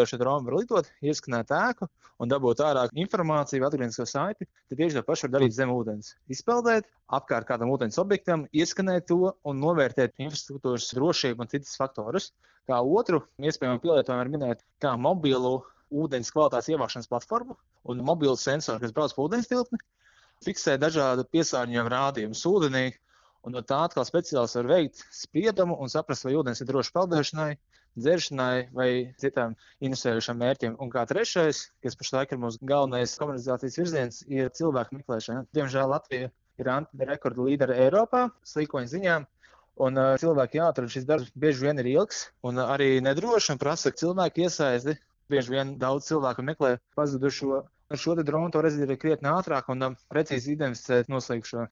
šo dronu var lidot, ieskanēt ēku un dabūt ārā informāciju, atgrieznisko saiti, tad tieši to pašu var darīt zem ūdens. Izpeldēt apkārt kādam ūdens objektam, ieskanēt to un novērtēt infrastruktūras drošību un citas faktorus. Kā otru iespējamo pielietojumu var minēt kā mobilu ūdens kvalitātes ievākšanas platformu un mobilu sensoru, kas brauc pa ūdens tilpni, fiksē dažādu piesārņojumu rādījumus ūdenī, un no tā atkal speciālists var veikt spriedumu un saprast, vai ūdens ir droši peldēšanai, dzeršanai vai citām interesējošām mērķiem. Un kā trešais, kas pašlaik ir mūsu galvenais komunikācijas virziens, ir cilvēku meklēšana. Diemžēl Latvija ir antirekordu līdere Eiropā, slīkoņu ziņā, un cilvēki jāatrod šis darbs bieži vien ir ilgs un arī nedroši un prasa cilvēku iesaisti. Bieži vien daudz cilvēku meklē pazudušo. Ar šo dronu to redzēt ir krietni ātrāk un precīzi identificēt noslīkušo.